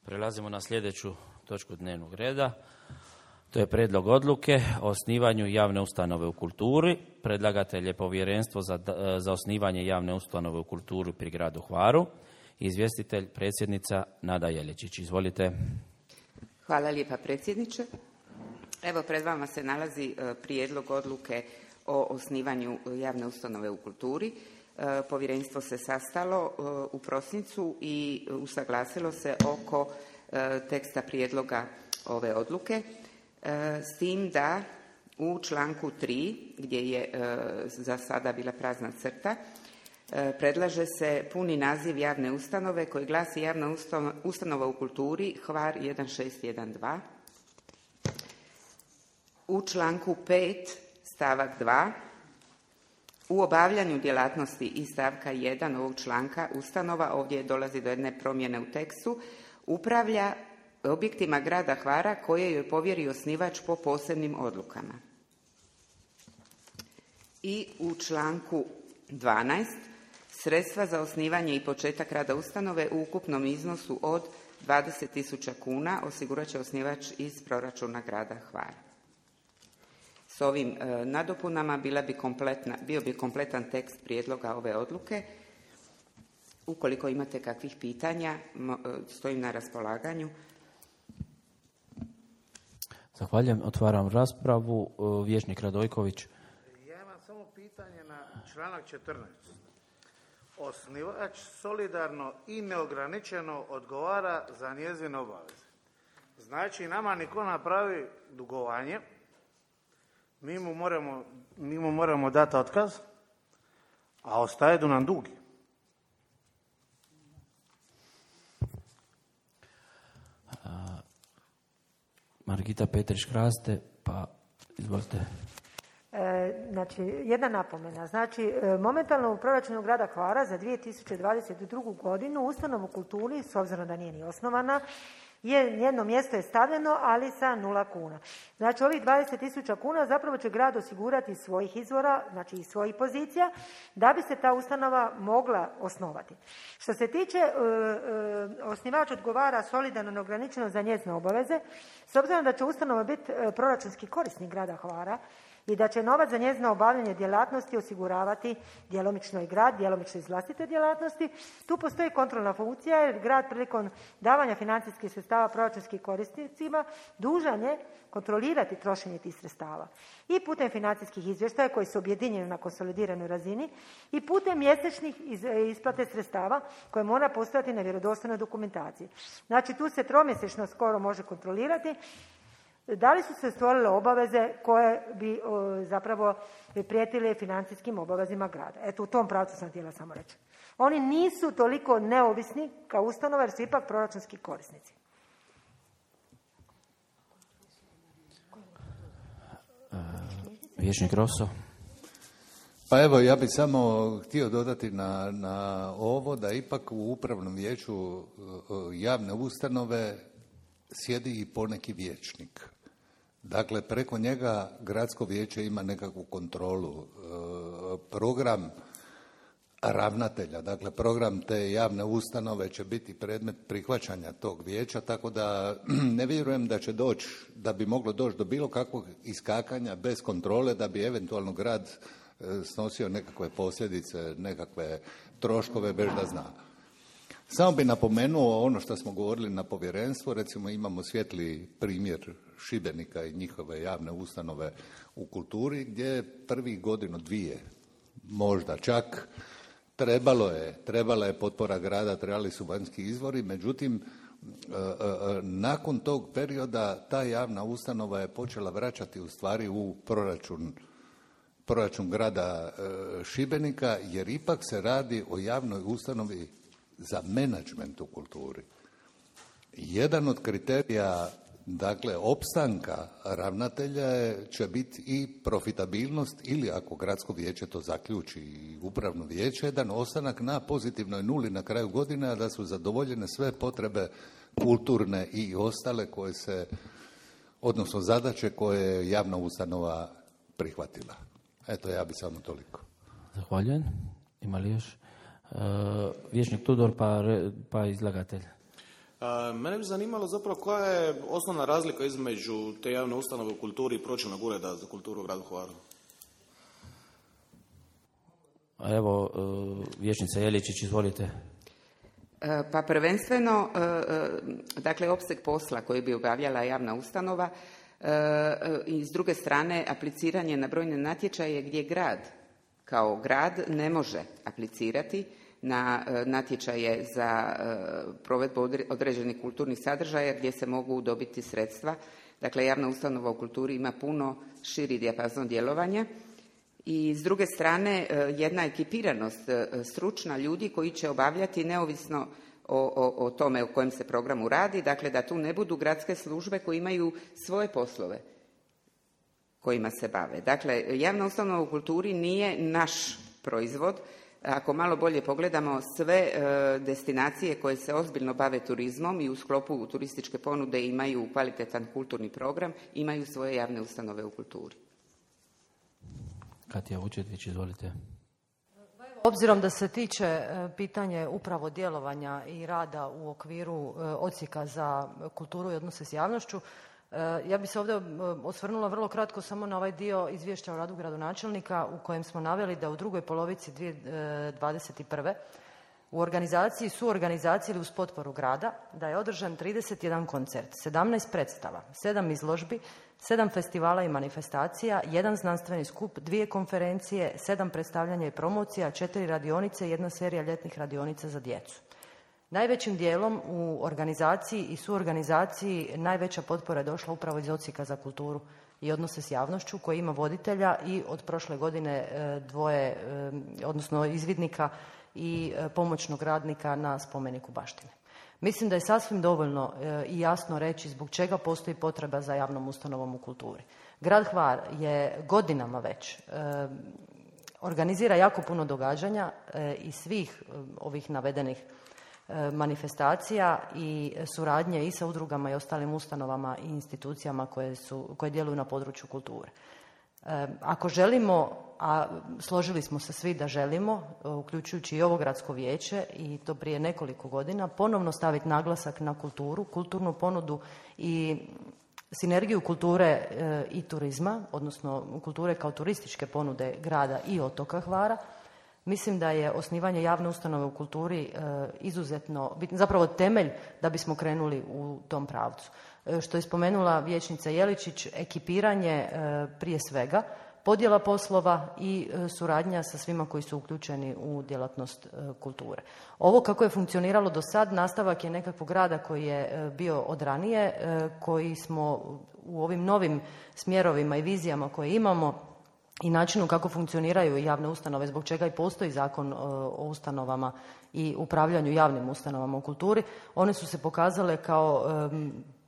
Prelazimo na sljedeću točku dnevnog reda. To je prijedlog odluke o osnivanju javne ustanove u kulturi. Predlagatelj je Povjerenstvo za osnivanje javne ustanove u kulturi pri gradu Hvaru. Izvjestitelj predsjednica Nada Jeličić. Izvolite. Hvala lijepa predsjedniče. Evo pred vama se nalazi prijedlog odluke o osnivanju javne ustanove u kulturi. Povjerenstvo se sastalo u prosincu i usaglasilo se oko teksta prijedloga ove odluke, s tim da u članku 3, gdje je za sada bila prazna crta, predlaže se puni naziv javne ustanove koji glasi javna ustanova u kulturi Hvar 1612. U članku 5 stavak 2 u obavljanju djelatnosti iz stavka 1 ovog članka ustanova, ovdje dolazi do jedne promjene u tekstu, upravlja objektima grada Hvara koje joj povjeri osnivač po posebnim odlukama. I u članku 12 sredstva za osnivanje i početak rada ustanove u ukupnom iznosu od 20.000 kuna osigurat će osnivač iz proračuna grada Hvara. S ovim nadopunama bio bi kompletan tekst prijedloga ove odluke. Ukoliko imate kakvih pitanja, stojim na raspolaganju. Zahvaljujem. Otvaram raspravu. Vijećnik Radojković. Ja imam samo pitanje na članak 14. Osnivač solidarno i neograničeno odgovara za njezine obaveze. Znači, nama niko napravi dugovanje, mi mu moramo dati otkaz, a ostaje do nam dugi. Margita Petrić-Kraste, pa izvolite. Znači, jedna napomena. Znači, momentalno u proračunu grada Hvara za 2022. godinu ustanovu kulturi, s obzirom da nije ni osnovana, njeno mjesto je stavljeno, ali sa 0 kuna. Znači, ovih 20.000 kuna zapravo će grad osigurati iz svojih izvora, znači iz svojih pozicija, da bi se ta ustanova mogla osnovati. Što se tiče osnivač odgovara solidarno neograničeno za njezine obaveze, s obzirom da će ustanova biti proračunski korisnik grada Hvara, i da će novac za njezino obavljanje djelatnosti osiguravati djelomično i grad, djelomično iz vlastite djelatnosti. Tu postoji kontrolna funkcija jer grad prilikom davanja financijskih sredstava proračunskim korisnicima dužan je kontrolirati trošenje tih sredstava. I putem financijskih izvještaja koji su objedinjeni na konsolidiranoj razini i putem mjesečnih isplate sredstava koje mora postojati na vjerodostojnoj dokumentaciji. Znači tu se tromjesečno skoro može kontrolirati da li su se stvorile obaveze koje bi zapravo prijetile financijskim obavezima grada. Eto, u tom pravcu sam htjela samo reći. Oni nisu toliko neovisni kao ustanova jer su ipak proračunski korisnici. Vijećnik Rosso. Pa evo, ja bih samo htio dodati na ovo da ipak u upravnom vijeću javne ustanove sjedi i poneki vijećnik. Dakle, preko njega gradsko vijeće ima nekakvu kontrolu. Program ravnatelja, dakle program te javne ustanove će biti predmet prihvaćanja tog vijeća, tako da ne vjerujem da će doći, da bi moglo doći do bilo kakvog iskakanja bez kontrole, da bi eventualno grad snosio nekakve posljedice, nekakve troškove bez da zna. Samo bi napomenuo ono što smo govorili na povjerenstvu, recimo imamo svijetli primjer Šibenika i njihove javne ustanove u kulturi gdje prvih godinu, dvije, možda čak, trebala je potpora grada, trebali su vanjski izvori, međutim, nakon tog perioda ta javna ustanova je počela vraćati u stvari u proračun grada Šibenika, jer ipak se radi o javnoj ustanovi za menadžment u kulturi. Jedan od kriterija, dakle, opstanka ravnatelja će biti i profitabilnost ili, ako gradsko vijeće to zaključi i upravno vijeće, jedan ostanak na pozitivnoj nuli na kraju godine, a da su zadovoljene sve potrebe kulturne i ostale koje se, odnosno zadaće koje je javna ustanova prihvatila. Eto, ja bi samo toliko. Zahvaljujem. Ima li još? Vijećnik Tudor, pa izlagatelj. Mene bi zanimalo zapravo koja je osnovna razlika između te javne ustanove u kulturi i pročelnog ureda za kulturu u gradu Hvaru. Evo, vijećnica Jeličić, izvolite. Pa prvenstveno, dakle, opseg posla koji bi obavljala javna ustanova i s druge strane apliciranje na brojne natječaje gdje grad kao grad ne može aplicirati na natječaje za provedbu određenih kulturnih sadržaja gdje se mogu dobiti sredstva. Dakle, javna ustanova u kulturi ima puno širi dijapazon djelovanja i s druge strane jedna ekipiranost stručna ljudi koji će obavljati neovisno o tome o kojem se programu radi, dakle da tu ne budu gradske službe koje imaju svoje poslove kojima se bave. Dakle, javna ustanova u kulturi nije naš proizvod. Ako malo bolje pogledamo, sve destinacije koje se ozbiljno bave turizmom i u sklopu turističke ponude imaju kvalitetan kulturni program, imaju svoje javne ustanove u kulturi. Katja Vučetić, izvolite. Obzirom da se tiče pitanje upravo djelovanja i rada u okviru odsjeka za kulturu i odnose s javnošću, ja bih se ovdje osvrnula vrlo kratko samo na ovaj dio izvješća o radu gradonačelnika u kojem smo naveli da u drugoj polovici 2021. u organizaciji, suorganizaciji ili uz potporu grada da je održan 31 koncert, 17 predstava, 7 izložbi, 7 festivala i manifestacija, 1 znanstveni skup, 2 konferencije, 7 predstavljanja i promocija, 4 radionice i 1 serija ljetnih radionica za djecu. Najvećim dijelom u organizaciji i suorganizaciji najveća potpora je došla upravo iz odsjeka za kulturu i odnose s javnošću koji ima voditelja i od prošle godine 2, odnosno izvidnika i pomoćnog radnika na spomeniku baštine. Mislim da je sasvim dovoljno i jasno reći zbog čega postoji potreba za javnom ustanovom u kulturi. Grad Hvar je godinama već organizira jako puno događanja i svih ovih navedenih manifestacija i suradnje i sa udrugama i ostalim ustanovama i institucijama koje djeluju na području kulture. Ako želimo, a složili smo se svi da želimo, uključujući i ovo gradsko vijeće i to prije nekoliko godina, ponovno staviti naglasak na kulturu, kulturnu ponudu i sinergiju kulture i turizma, odnosno kulture kao turističke ponude grada i otoka Hvara, mislim da je osnivanje javne ustanove u kulturi izuzetno bitno, zapravo temelj da bismo krenuli u tom pravcu. Što je spomenula vijećnica Jeličić, ekipiranje prije svega, podjela poslova i suradnja sa svima koji su uključeni u djelatnost kulture. Ovo kako je funkcioniralo do sad, nastavak je nekakvog rada koji je bio od ranije, koji smo u ovim novim smjerovima i vizijama koje imamo i načinu kako funkcioniraju javne ustanove, zbog čega i postoji zakon o ustanovama i upravljanju javnim ustanovama u kulturi, one su se pokazale kao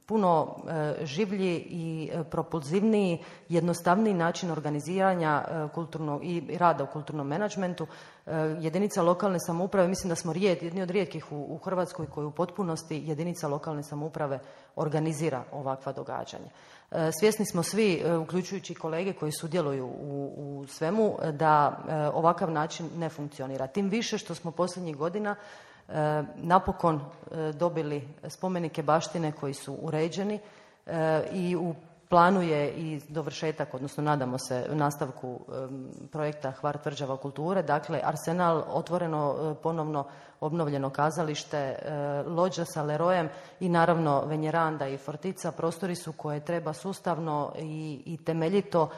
puno življi i propulzivniji, jednostavniji način organiziranja kulturnog i rada u kulturnom menadžmentu. Jedinica lokalne samouprave, mislim da smo jedni od rijetkih u Hrvatskoj koji u potpunosti jedinica lokalne samouprave organizira ovakva događanja. Svjesni smo svi, uključujući kolege koji sudjeluju u svemu, da ovakav način ne funkcionira. Tim više što smo posljednjih godina napokon dobili spomenike baštine koji su uređeni i u planu je i dovršetak, odnosno nadamo se nastavku projekta Hvar tvrđava kulture, dakle Arsenal, otvoreno ponovno obnovljeno kazalište, lođa sa Lerojem i naravno Venjeranda i Fortica, prostori su koje treba sustavno i temeljito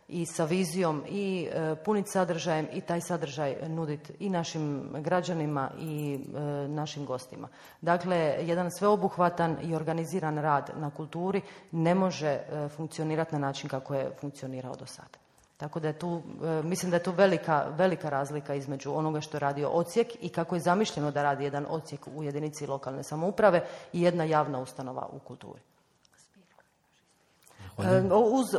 i sa vizijom i puniti sadržajem i taj sadržaj nuditi i našim građanima i našim gostima. Dakle, jedan sveobuhvatan i organiziran rad na kulturi ne može funkcionirati na način kako je funkcionirao do sada. Tako da je tu, mislim da je tu velika razlika između onoga što je radio odsjek i kako je zamišljeno da radi jedan odsjek u jedinici lokalne samouprave i jedna javna ustanova u kulturi. Uz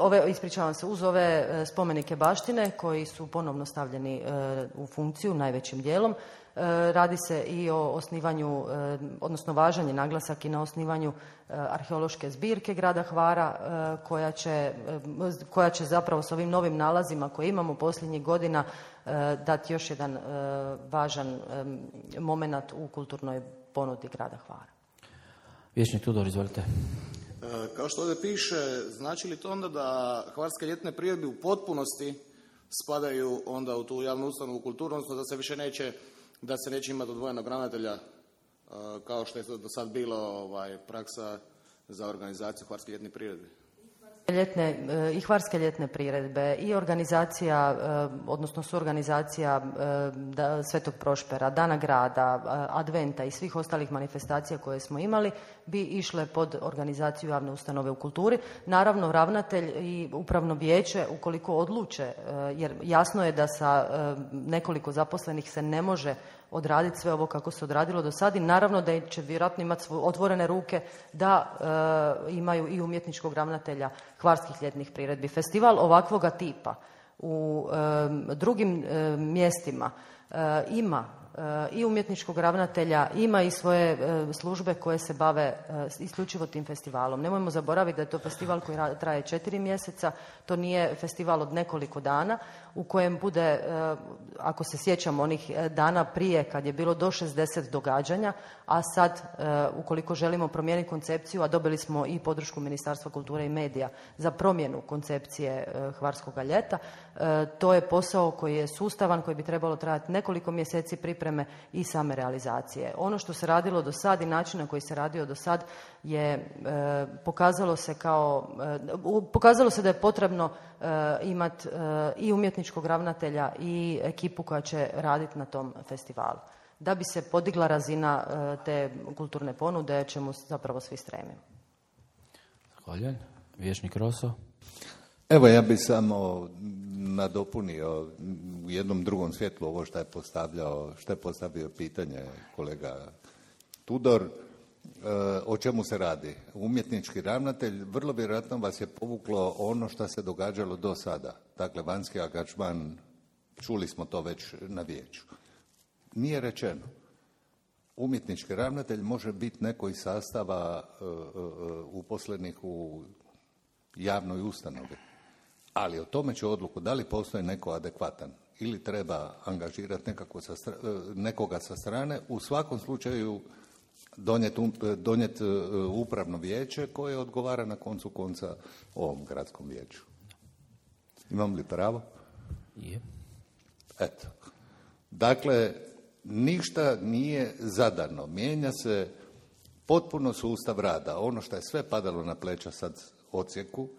ove spomenike baštine koji su ponovno stavljeni u funkciju najvećim dijelom, radi se i o osnivanju, odnosno važan je naglasak i na osnivanju arheološke zbirke grada Hvara koja će zapravo s ovim novim nalazima koje imamo posljednjih godina dati još jedan važan moment u kulturnoj ponudi grada Hvara. Vijećnik Tudor, izvolite. Kao što ovdje piše, znači li to onda da hvarske ljetne priredbe u potpunosti spadaju onda u tu javnu ustanovu kulturu, odnosno da se neće imati odvojenog ravnatelja kao što je do sad bilo praksa za organizaciju hvarske ljetne priredbe? I hvarske ljetne priredbe i organizacija, odnosno suorganizacija Svetog Prošpera, Dana grada, Adventa i svih ostalih manifestacija koje smo imali bi išle pod organizaciju javne ustanove u kulturi. Naravno, ravnatelj i upravno vijeće, ukoliko odluče, jer jasno je da sa nekoliko zaposlenih se ne može odraditi sve ovo kako se odradilo do sad i naravno da će vjerojatno imati otvorene ruke da imaju i umjetničkog ravnatelja hvarskih ljetnih priredbi. Festival ovakvoga tipa u drugim mjestima ima i umjetničkog ravnatelja, ima i svoje službe koje se bave isključivo tim festivalom. Nemojmo zaboraviti da je to festival koji traje 4 mjeseca, to nije festival od nekoliko dana u kojem bude, ako se sjećamo onih dana prije kad je bilo do 60 događanja, a sad ukoliko želimo promijeniti koncepciju, a dobili smo i podršku Ministarstva kulture i medija za promjenu koncepcije hvarskoga ljeta, to je posao koji je sustavan, koji bi trebalo trajati nekoliko mjeseci pripreme i same realizacije. Ono što se radilo do sad i način na koji se radio do sad je pokazalo se da je potrebno imati i umjetničkog ravnatelja i ekipu koja će raditi na tom festivalu. Da bi se podigla razina te kulturne ponude, čemu zapravo svi stremimo. Zahvaljujem. Vijećnik Roso. Evo, ja bih samo nadopunio u jednom drugom svjetlu ovo što je postavio pitanje kolega Tudor. O čemu se radi? Umjetnički ravnatelj, vrlo vjerojatno vas je povuklo ono što se događalo do sada. Dakle, vanjski angažman, čuli smo to već na vijeću. Nije rečeno. Umjetnički ravnatelj može biti neko iz sastava uposlenih u javnoj ustanovi. Ali o tome će odluku da li postoji neko adekvatan ili treba angažirati nekoga sa strane. U svakom slučaju donijeti upravno vijeće koje odgovara na koncu konca ovom gradskom vijeću. Imam li pravo? Je. Eto. Dakle, ništa nije zadano. Mijenja se potpuno sustav rada. Ono što je sve padalo na pleća sad odsjeku,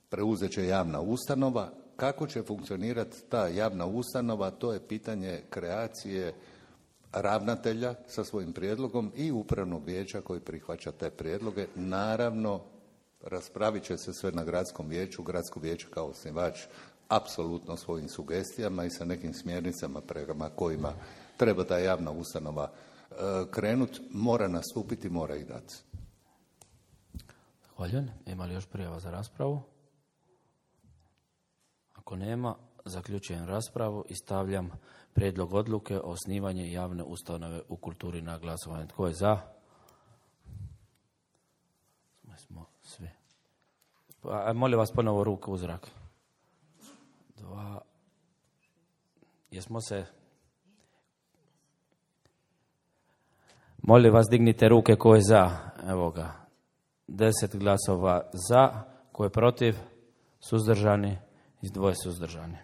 preuzet će javna ustanova. Kako će funkcionirati ta javna ustanova, to je pitanje kreacije ravnatelja sa svojim prijedlogom i upravnog vijeća koji prihvaća te prijedloge. Naravno, raspravit će se sve na gradskom vijeću. Gradsko vijeće kao osnivač apsolutno svojim sugestijama i sa nekim smjernicama prema kojima treba ta javna ustanova krenuti, mora nastupiti, mora ih dati. Zahvaljujem. Ima li još prijava za raspravu? Ako nema, zaključujem raspravu i stavljam prijedlog odluke o osnivanju javne ustanove u kulturi na glasovanje. Tko je za? Smo svi. Molim vas ponovo ruku u zrak. 2. Jesmo se... Molim vas, dignite ruke ko je za. Evo ga. 10 glasova za, ko je protiv, suzdržani i 2 suzdržani.